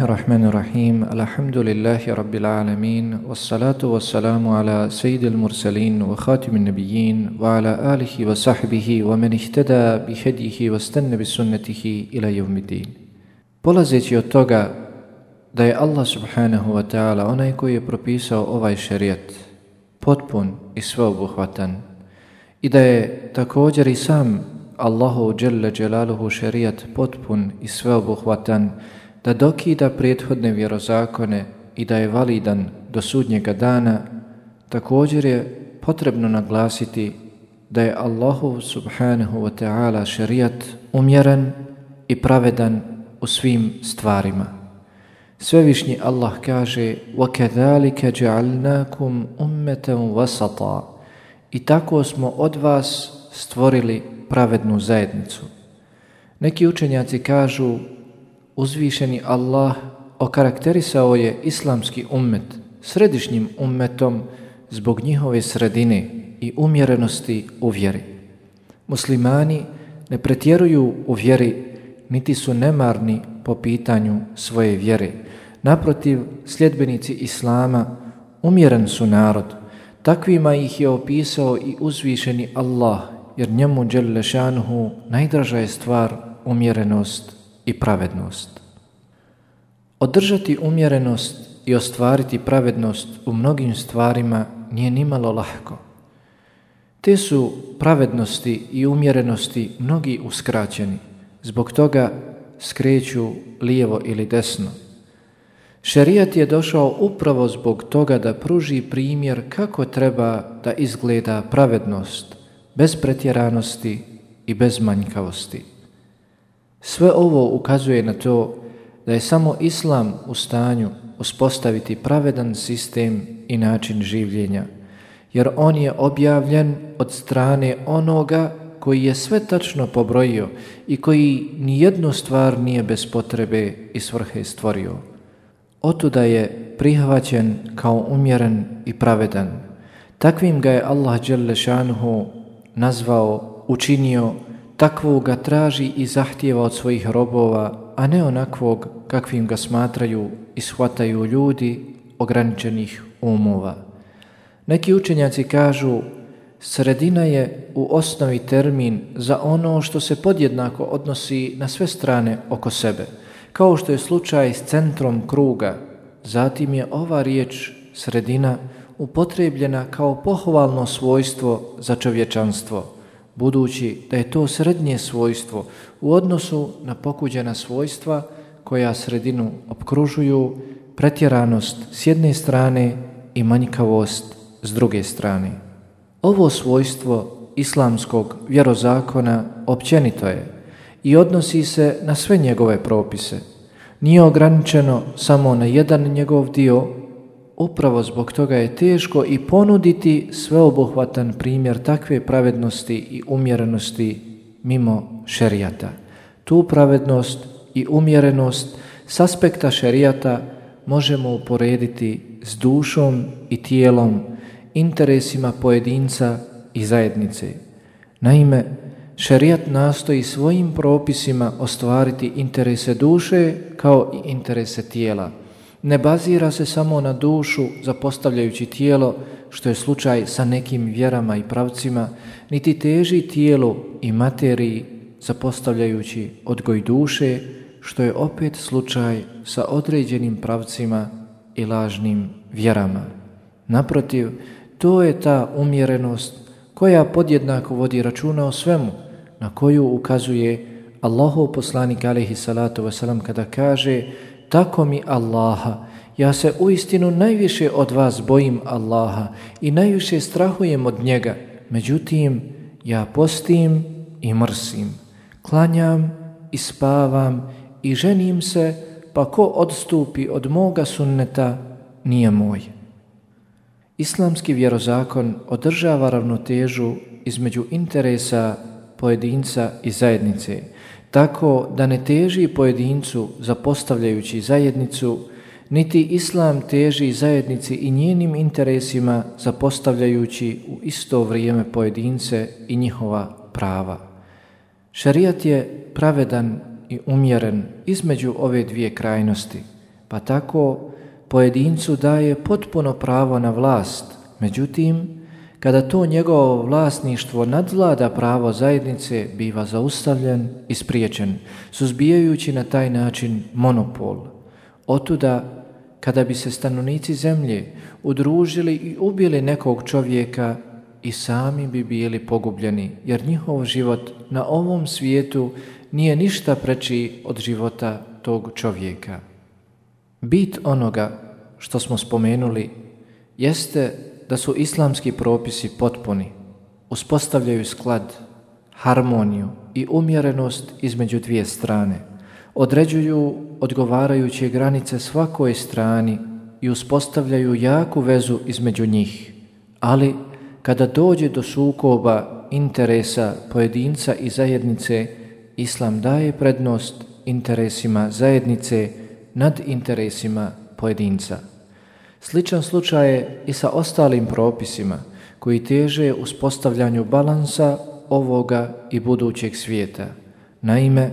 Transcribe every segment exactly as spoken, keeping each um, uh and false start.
Bismillahirrahmanirrahim. Alhamdulillahi rabbil alamin. Wassalatu wassalamu ala sayyidil mursalin wa khatimin nabiyyin wa ala alihi wa sahbihi wa man ihtada bi hadihi wa stanna bi sunnatihi ila yawmiddin. Polazeći od toga da je Allah subhanahu wa ta'ala onaj koji je propisao ovaj šerijat potpun i sveobuhvatan i da je također i sam Allahu dželle dželaluhu šerijat potpun i sveobuhvatan, da dokida prethodne vjerozakone i da je validan do sudnjega dana, također je potrebno naglasiti da je Allahu subhanahu wa ta'ala šerijat umjeren i pravedan u svim stvarima. Svevišnji Allah kaže: وَكَذَلِكَ جَعَلْنَاكُمْ أُمَّةً وَسَطًا, i tako smo od vas stvorili pravednu zajednicu. Neki učenjaci kažu: uzvišeni Allah okarakterisao je islamski ummet središnjim ummetom zbog njihove sredine i umjerenosti u vjeri. Muslimani ne pretjeruju u vjeri, niti su nemarni po pitanju svoje vjere. Naprotiv, sljedbenici Islama umjeren su narod. Takvima ih je opisao i uzvišeni Allah, jer njemu dželle šanuhu najdraža je stvar umjerenost i pravednost. Održati umjerenost i ostvariti pravednost u mnogim stvarima nije nimalo lahko. Te su pravednosti i umjerenosti mnogi uskraćeni, zbog toga skreću lijevo ili desno. Šerijat je došao upravo zbog toga da pruži primjer kako treba da izgleda pravednost, bez pretjeranosti i bez manjkavosti. Sve ovo ukazuje na to da je samo Islam u stanju uspostaviti pravedan sistem i način življenja, jer on je objavljen od strane onoga koji je sve tačno pobrojio i koji nijednu stvar nije bez potrebe i svrhe stvorio. Otuda je prihvaćen kao umjeren i pravedan. Takvim ga je Allah dželle šanuhu nazvao, učinio, takvog ga traži i zahtijeva od svojih robova, a ne onakvog kakvim ga smatraju i shvataju ljudi ograničenih umova. Neki učenjaci kažu: sredina je u osnovi termin za ono što se podjednako odnosi na sve strane oko sebe, kao što je slučaj s centrom kruga. Zatim je ova riječ sredina upotrebljena kao pohvalno svojstvo za čovječanstvo, budući da je to srednje svojstvo u odnosu na pokuđena svojstva koja sredinu opkružuju, pretjeranost s jedne strane i manjkavost s druge strane. Ovo svojstvo islamskog vjerozakona općenito je i odnosi se na sve njegove propise. Nije ograničeno samo na jedan njegov dio. Upravo zbog toga je teško i ponuditi sveobuhvatan primjer takve pravednosti i umjerenosti mimo šerijata. Tu pravednost i umjerenost s aspekta šerijata možemo uporediti s dušom i tijelom, interesima pojedinca i zajednice. Naime, šerijat nastoji svojim propisima ostvariti interese duše kao i interese tijela. Ne bazira se samo na dušu zapostavljajući tijelo, što je slučaj sa nekim vjerama i pravcima, niti teži tijelu i materiji zapostavljajući odgoj duše, što je opet slučaj sa određenim pravcima i lažnim vjerama. Naprotiv, to je ta umjerenost koja podjednako vodi računa o svemu, na koju ukazuje Allahov poslanik alejhi salatu vesselam kada kaže: tako mi Allaha, ja se uistinu najviše od vas bojim Allaha i najviše strahujem od njega. Međutim, ja postim i mrsim, klanjam i spavam i ženim se, pa ko odstupi od moga sunneta nije moj. Islamski vjerozakon održava ravnotežu između interesa pojedinca i zajednice, tako da ne teži pojedincu zapostavljajući zajednicu, niti Islam teži zajednici i njenim interesima zapostavljajući u isto vrijeme pojedince i njihova prava. Šerijat je pravedan i umjeren između ove dvije krajnosti. pa tako pojedincu daje potpuno pravo na vlast. Međutim, kada to njegovo vlasništvo nadvlada pravo zajednice, biva zaustavljen i spriječen, suzbijajući na taj način monopol. Otuda, kada bi se stanovnici zemlje udružili i ubili nekog čovjeka, i sami bi bili pogubljeni, jer njihov život na ovom svijetu nije ništa preči od života tog čovjeka. Bit onoga što smo spomenuli jeste da su islamski propisi potpuni, uspostavljaju sklad, harmoniju i umjerenost između dvije strane, određuju odgovarajuće granice svakoj strani i uspostavljaju jaku vezu između njih, ali kada dođe do sukoba interesa pojedinca i zajednice, Islam daje prednost interesima zajednice nad interesima pojedinca. Sličan slučaj je i sa ostalim propisima koji teže uspostavljanju balansa ovoga i budućeg svijeta. Naime,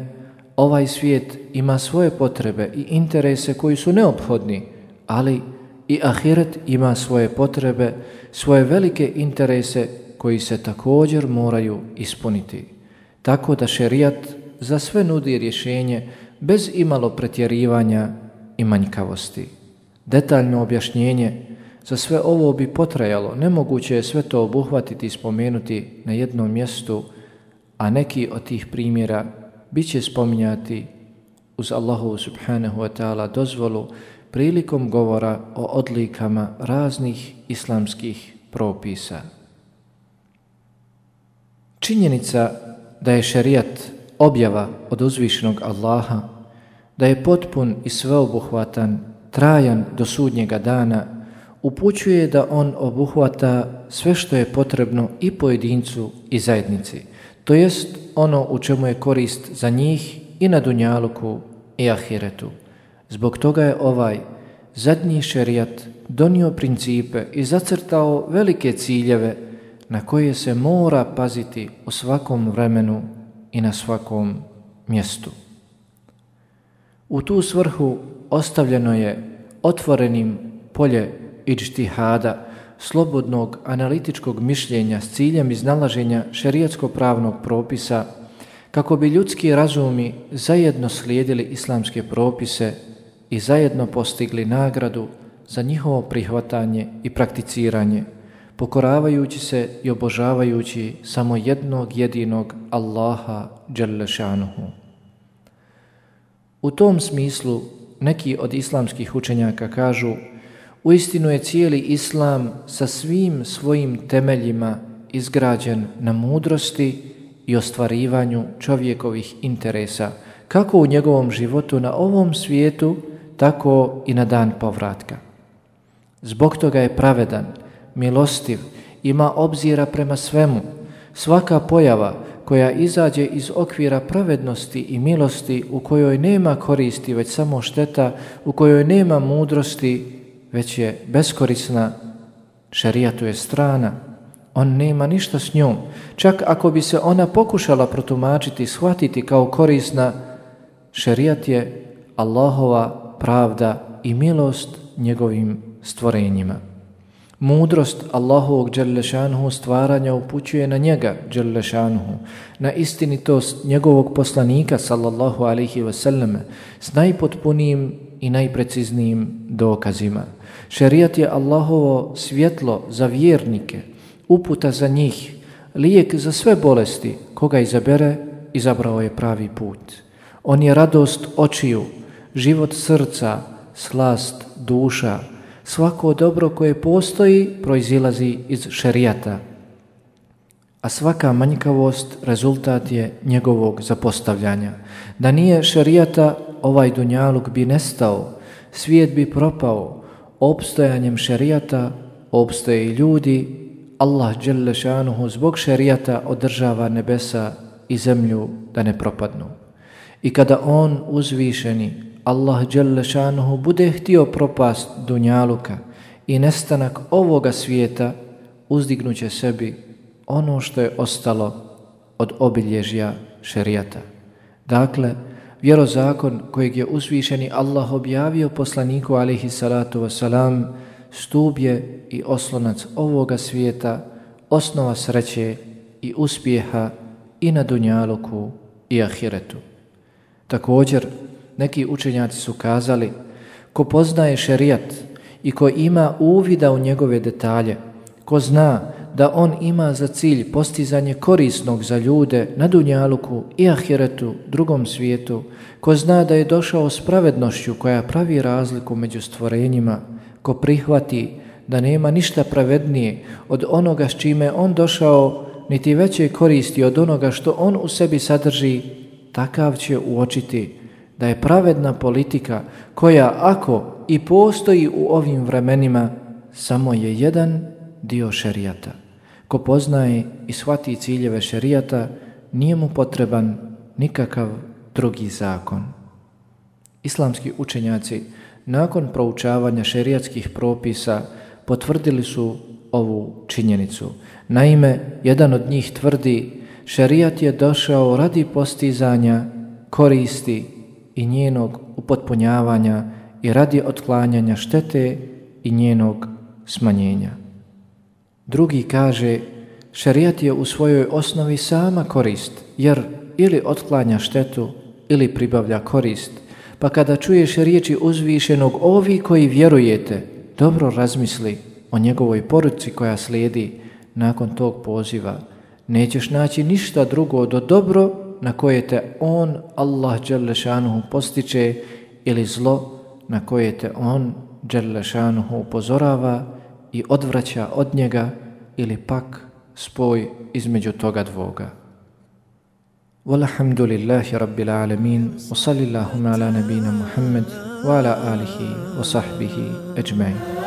ovaj svijet ima svoje potrebe i interese koji su neophodni, ali i ahiret ima svoje potrebe, svoje velike interese koji se također moraju ispuniti. Tako da šerijat za sve nudi rješenje bez imalo pretjerivanja i manjkavosti. Detaljno objašnjenje za sve ovo bi potrajalo, nemoguće je sve to obuhvatiti i spomenuti na jednom mjestu, a neki od tih primjera bit će spominjati uz Allahovu subhanahu wa ta'ala dozvolu prilikom govora o odlikama raznih islamskih propisa. Činjenica da je šerijat objava od uzvišenog Allaha, da je potpun i sveobuhvatan, trajan do sudnjega dana, upućuje da on obuhvata sve što je potrebno i pojedincu i zajednici, to jest ono u čemu je korist za njih i na dunjaluku i ahiretu. Zbog toga je ovaj zadnji šerijat donio principe i zacrtao velike ciljeve na koje se mora paziti u svakom vremenu i na svakom mjestu. U tu svrhu ostavljeno je otvorenim polje idžtihada, slobodnog analitičkog mišljenja s ciljem iznalaženja šerijatsko-pravnog propisa, kako bi ljudski razumi zajedno slijedili islamske propise i zajedno postigli nagradu za njihovo prihvatanje i prakticiranje, pokoravajući se i obožavajući samo jednog jedinog Allaha dželle šanuhu. U tom smislu neki od islamskih učenjaka kažu: uistinu je cijeli islam sa svim svojim temeljima izgrađen na mudrosti i ostvarivanju čovjekovih interesa, kako u njegovom životu na ovom svijetu, tako i na dan povratka. Zbog toga je pravedan, milostiv, ima obzira prema svemu. Svaka pojava koja izađe iz okvira pravednosti i milosti, u kojoj nema koristi, već samo šteta, u kojoj nema mudrosti, već je beskorisna, šerijatu je strana. On nema ništa s njom. Čak ako bi se ona pokušala protumačiti, shvatiti kao korisna, šerijat je Allahova pravda i milost njegovim stvorenjima. Mudrost Allahovog dželle šanuhu stvaranja upućuje na njega dželle šanuhu, na istinitost njegovog poslanika sallallahu alejhi ve selleme s najpotpunijim i najpreciznijim dokazima. Šerijat je Allahovo svjetlo za vjernike, uputa za njih, lijek za sve bolesti. Koga izabere, izabrao je pravi put. On je radost očiju, život srca, slast duša. Svako dobro koje postoji proizilazi iz šerijata, a svaka manjkavost rezultat je njegovog zapostavljanja. Da nije šerijata, ovaj dunjaluk bi nestao, svijet bi propao. Opstojanjem šerijata opstoje i ljudi. Allah dželle šanuhu zbog šerijata održava nebesa i zemlju da ne propadnu. I kada on uzvišeni Allah dželle šanuhu bude htio propast dunjaluka i nestanak ovoga svijeta, uzdignuće sebi ono što je ostalo od obilježja šerijata. Dakle, vjerozakon kojeg je uzvišeni Allah objavio poslaniku alejhi salatu vesselam, stup je i oslonac ovoga svijeta, osnova sreće i uspjeha i na dunjaluku i ahiretu. Također, neki učenjaci su kazali, ko poznaje šerijat i ko ima uvida u njegove detalje, ko zna da on ima za cilj postizanje korisnog za ljude na dunjaluku i ahiretu, drugom svijetu, ko zna da je došao s pravednošću koja pravi razliku među stvorenjima, ko prihvati da nema ništa pravednije od onoga s čime on došao, niti veće koristi od onoga što on u sebi sadrži, takav će uočiti da je pravedna politika koja, ako i postoji u ovim vremenima, samo je jedan dio šerijata. Ko poznaje i shvati ciljeve šerijata, nije mu potreban nikakav drugi zakon. Islamski učenjaci nakon proučavanja šerijatskih propisa potvrdili su ovu činjenicu. Naime, jedan od njih tvrdi, šerijat je došao radi postizanja koristi i njenog upotpunjavanja i radi otklanjanja štete i njenog smanjenja. Drugi kaže, šerijat je u svojoj osnovi sama korist, jer ili otklanja štetu ili pribavlja korist. Pa kada čuješ riječi uzvišenog, ovi koji vjerujete, dobro razmisli o njegovoj poruci koja slijedi nakon tog poziva. Nećeš naći ništa drugo do dobro na koje te on, Allah dželle šanuhu, postiče ili zlo na koje te on, dželle šanuhu, upozorava i odvraća od njega, ili pak spoj između toga dvoga. Walhamdulillahi rabbil alamin, wa sallallahu ala nabina Muhammad wa ala alihi wa sahbihi ajma'in.